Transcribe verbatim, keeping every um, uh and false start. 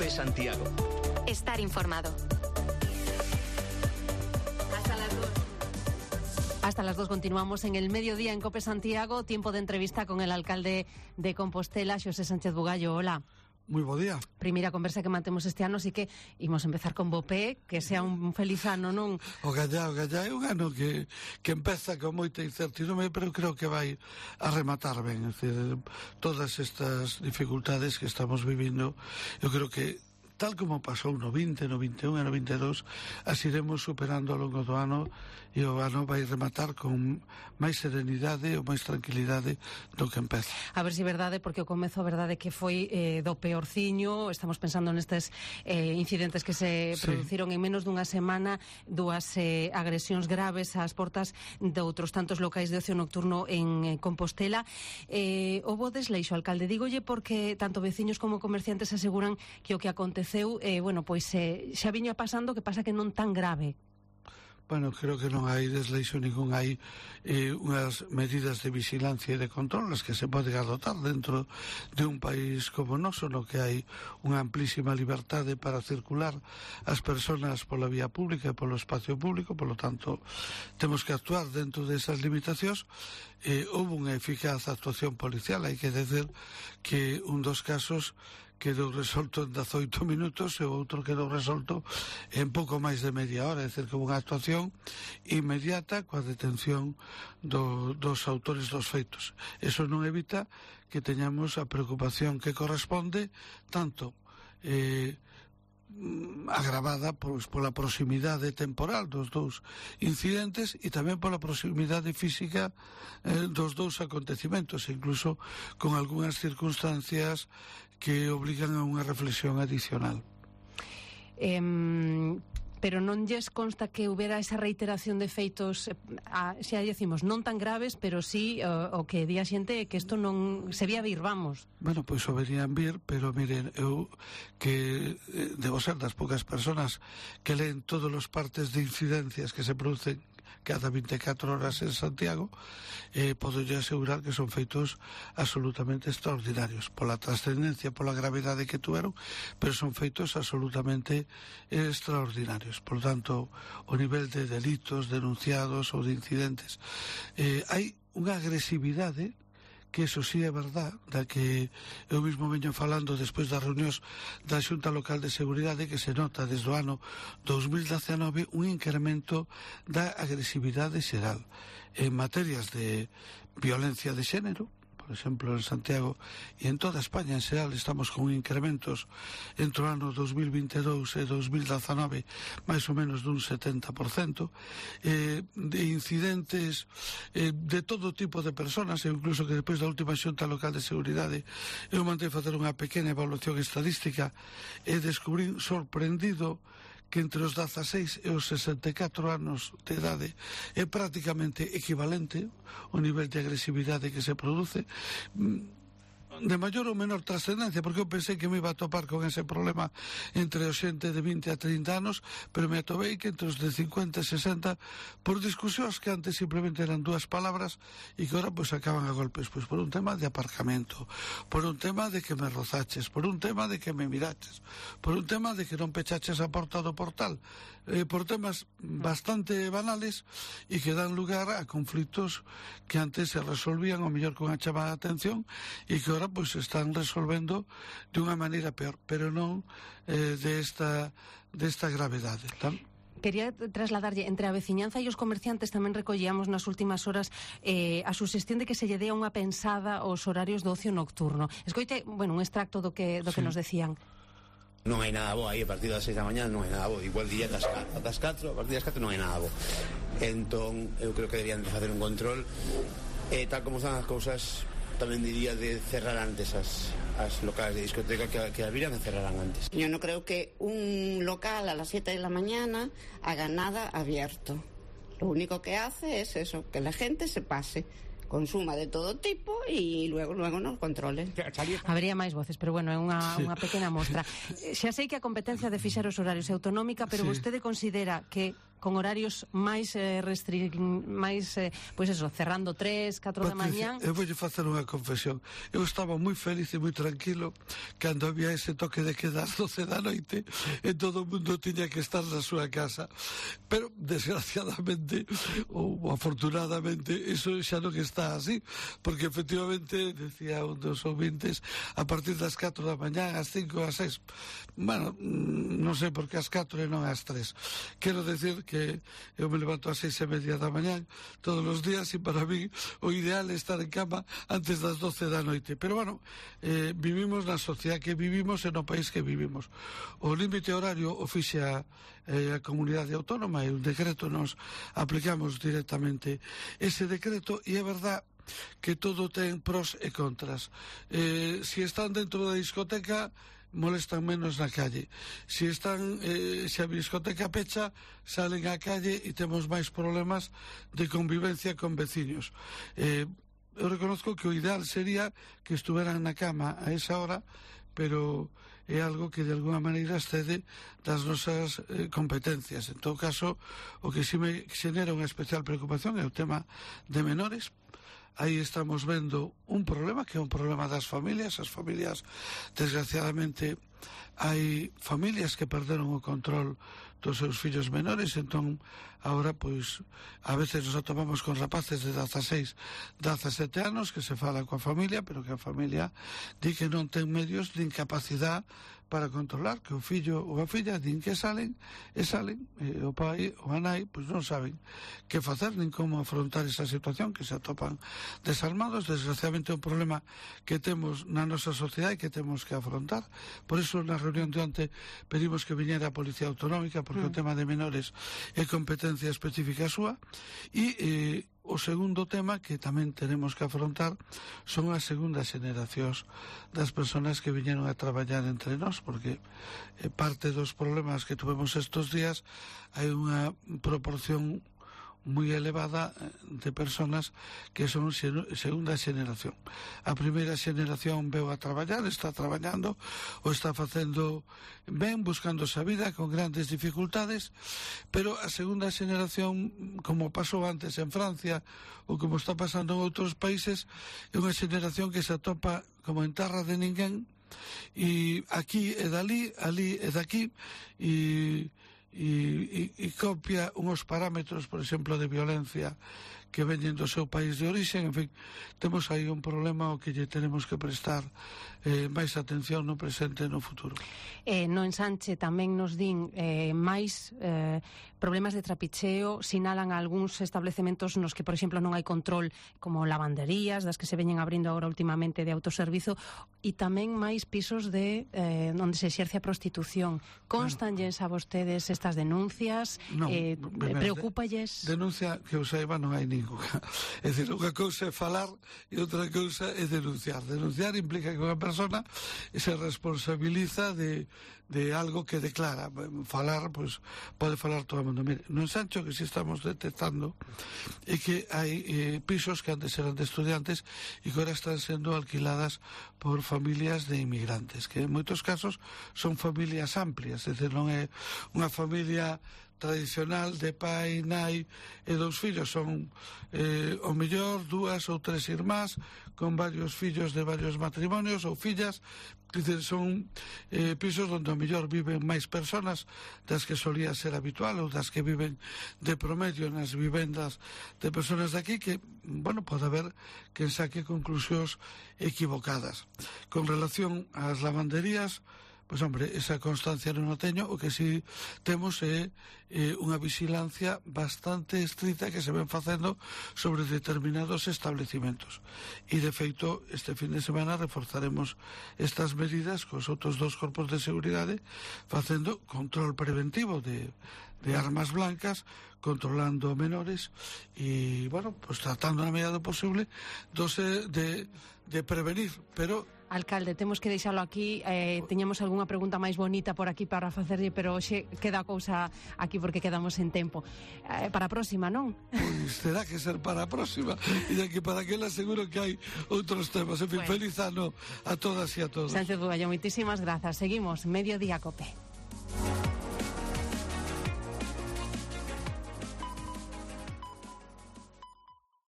COPE Santiago. Estar informado. Hasta las dos. Hasta las dos continuamos en el mediodía en COPE Santiago. Tiempo de entrevista con el alcalde de Compostela, Xosé Sánchez Bugallo. Hola. Moi bo día. Primeira conversa que mantemos este ano, así que imos empezar con Bopé, que sea un feliz ano, non? O gallá, o gallá é un ano que, que empeza con moita incertidumbre, pero creo que vai a rematar ben. É dicir, todas estas dificultades que estamos vivindo, eu creo que tal como pasou no vinte, no vinte e un e no vinte e dous, as iremos superando ao longo do ano e o ano vai rematar con máis serenidade ou máis tranquilidade do que empeza. A ver se é verdade, porque o comezo a verdade que foi eh, do peorciño. Estamos pensando nestes eh, incidentes que se sí. produciron en menos dunha semana, dúas eh, agresións graves ás portas de outros tantos locais de ocio nocturno en eh, Compostela. Eh, houbo desleixo, alcalde, dígolle, porque tanto veciños como comerciantes aseguran que o que aconteceu eh, bueno, pois eh, xa viña pasando, que pasa que non tan grave. Bueno, creo que non hai desleixo ningún, hai eh, unhas medidas de vigilancia e de control as que se pode adoptar dentro de un país como o noso, no que hai unha amplísima liberdade para circular as persoas pola vía pública e polo espacio público, polo tanto temos que actuar dentro desas limitacións. Eh, houve unha eficaz actuación policial, hai que decir que un dos casos quedou resolto en dezaoito minutos e o outro quedou resolto en pouco máis de media hora, é dicir, que unha actuación inmediata coa detención do, dos autores dos feitos. Eso non evita que teñamos a preocupación que corresponde tanto eh, agravada pois, pola proximidade temporal dos dous incidentes e tamén pola proximidade física eh, dos dous acontecimentos, incluso con algunhas circunstancias que obligan a unha reflexión adicional. Eh, pero non lles consta que houbera esa reiteración de feitos, a, xa decimos, non tan graves, pero sí o, o que di a xente que isto non se vía vir, vamos. Bueno, pois o verían vir, pero miren, eu que eh, debo ser das poucas persoas que leen todos os partes de incidencias que se producen cada vinte e catro horas en Santiago, eh, podo yo asegurar que son feitos absolutamente extraordinarios pola trascendencia, pola gravidade que tuveron, pero son feitos absolutamente extraordinarios. Por tanto, o nivel de delitos denunciados ou de incidentes, eh, hai unha agresividade que eso sí é verdad, da que eu mesmo veño falando despois das reunións da Xunta Local de Seguridade, que se nota desde o ano dos mil dezanove un incremento da agresividade xeral en materias de violencia de xénero. Por exemplo, en Santiago e en toda España en xeral estamos con incrementos entre o ano dos mil vinte e dous e dos mil dezanove máis ou menos dun setenta por cento, eh, de incidentes eh, de todo tipo de personas, e incluso que despois da última Xunta Local de Seguridade eu mandei facer unha pequena evaluación estadística e descubrín sorprendido que entre os dezaseis e os sesenta e catro anos de idade é prácticamente equivalente o nivel de agresividade que se produce, de maior ou menor trascendencia, porque eu pensei que me iba a topar con ese problema entre os xente de vinte a trinta anos, pero me atopei que entre os de cincuenta e sesenta, por discusións que antes simplemente eran dúas palabras e que ahora pues acaban a golpes, pues por un tema de aparcamento, por un tema de que me rozaches, por un tema de que me miraches, por un tema de que non pechaches a porta do portal, eh, por temas bastante banales e que dan lugar a conflitos que antes se resolvían o mellor con a chamada de atención e que ahora pois pues, están resolvendo de unha maneira peor, pero non eh, de esta de esta gravedade. Tan... Quería trasladarlle entre a veciñanza e os comerciantes. Tamén recollíamos nas últimas horas eh, a suxestión de que se lle dea unha pensada aos horarios do ocio nocturno. Escoite, bueno, un extracto do que do que sí. nos decían. Non hai nada bo aí a partir das seis da mañá, non hai nada bo. Igual diría das catro, a partir das catro non hai nada bo. Entón, eu creo que deberían de facer un control e eh, tal como están as cousas, tamén diría de cerrar antes as, as locales de discoteca, que, que habrían de cerrarán antes. Yo no creo que un local a las siete de la mañana haga nada abierto. Lo único que hace es eso, que la gente se pase, consuma de todo tipo e luego luego nos controlen. Habería máis voces, pero bueno, é unha, sí. unha pequena mostra. Xa sei que a competencia de fixar os horarios é autonómica, pero sí. vostede considera que con horarios máis eh, restri... máis, eh, pois eso, cerrando tres, catro da mañán. Eu voulle facer unha confesión. Eu estaba moi feliz e moi tranquilo cando había ese toque de queda ás doce da noite e todo o mundo tiña que estar na súa casa. Pero, desgraciadamente, ou afortunadamente, eso xa non está así, porque efectivamente, decía un dos ouvintes, a partir das catro da mañán, ás cinco, ás seis, bueno, non sei por que ás catro e non ás tres. Quero decir que eu me levanto ás seis e media da mañán todos os días e para mí o ideal é estar en cama antes das doce da noite. Pero bueno, eh, vivimos na sociedade que vivimos e no país que vivimos. O límite horario o fixe a, eh, a comunidade autónoma e un decreto nos aplicamos directamente ese decreto e é verdad que todo ten pros e contras. Eh, si están dentro da discoteca molestan menos na calle. Si están, eh, se a discoteca pecha, salen á calle e temos máis problemas de convivencia con veciños. Eh, eu reconozco que o ideal sería que estuveran na cama a esa hora, pero é algo que de alguna maneira excede das nosas eh, competencias. En todo caso, o que si me xenera unha especial preocupación é o tema de menores. Aí estamos vendo un problema que é un problema das familias. As familias, desgraciadamente, hai familias que perderon o control dos seus fillos menores, entón agora pois a veces nos atopamos con rapaces de dezaseis, dezasete anos que se fala coa familia, pero que a familia di que non ten medios nin capacidade para controlar, que o fillo ou a filla din que salen e salen, e o pai ou a nai pois non saben que facer nin como afrontar esa situación, que se atopan desarmados. Desgraciadamente é un problema que temos na nosa sociedade e que temos que afrontar. Por iso na reunión de onte pedimos que viñera a Policía Autonómica, porque mm. o tema de menores é competencia específica súa. E eh, o segundo tema que tamén tenemos que afrontar son as segundas generacións das persoas que viñeron a traballar entre nós, porque eh, parte dos problemas que tuvemos estos días hai unha proporción moi elevada de personas que son segunda xeneración. A primeira xeneración veu a traballar, está traballando ou está facendo ben, buscando esa vida con grandes dificultades, pero a segunda xeneración, como pasou antes en Francia ou como está pasando en outros países, é unha xeneración que se atopa como en terra de ninguén, e aquí e dali, ali e daqui, e E, e, e copia uns parámetros, por exemplo, de violencia que veñen do seu país de origen. En fin, temos aí un problema ao que lle tenemos que prestar eh, máis atención no presente e no futuro. Eh, no ensanche tamén nos din eh, máis eh, problemas de trapicheo, sinalan algúns establecementos nos que, por exemplo, non hai control, como lavanderías, das que se veñen abrindo agora últimamente de autoservizo, e tamén máis pisos de eh, onde se exerce a prostitución. Constanlles a vostedes estas denuncias? Non, eh, preocúpalles? Denuncia que eu saiba non hai ninguna. É dicir, unha cousa é falar e outra cousa é denunciar. Denunciar implica que unha persona se responsabiliza de de algo que declara. Falar, pois, pode falar todo o mundo. Mire, no ensancho que si estamos detectando é que hai eh, pisos que antes eran de estudiantes e que agora están sendo alquiladas por familias de inmigrantes, que en moitos casos son familias amplias, é dicir, non é unha familia tradicional de pai, nai e dous fillos, son eh, o mellor dúas ou tres irmás con varios fillos de varios matrimonios ou fillas. Dice, son eh, pisos onde o mellor viven máis personas das que solía ser habitual ou das que viven de promedio nas vivendas de personas de aquí, que, bueno, pode haber que saque conclusións equivocadas. Con relación ás lavanderías, pois, hombre, esa constancia non o teño. O que si temos é eh, unha vigilancia bastante estrita que se ven facendo sobre determinados establecimentos. E, de feito, este fin de semana reforzaremos estas medidas cos outros dos corpos de seguridade, facendo control preventivo de, de armas blancas, controlando menores e, bueno, pues tratando na medida do posible de, de, de prevenir, pero... Alcalde, temos que deixalo aquí. eh, Teñamos algunha pregunta máis bonita por aquí para facerlle, pero hoxe queda a cousa aquí porque quedamos en tempo. eh, Para a próxima, non? Pois terá que ser para a próxima. E aquí para aquela seguro que hai outros temas. En fin, bueno, feliz ano a todas e a todos. Sánchez Bugallo, moitísimas grazas. Seguimos, Mediodía Cope.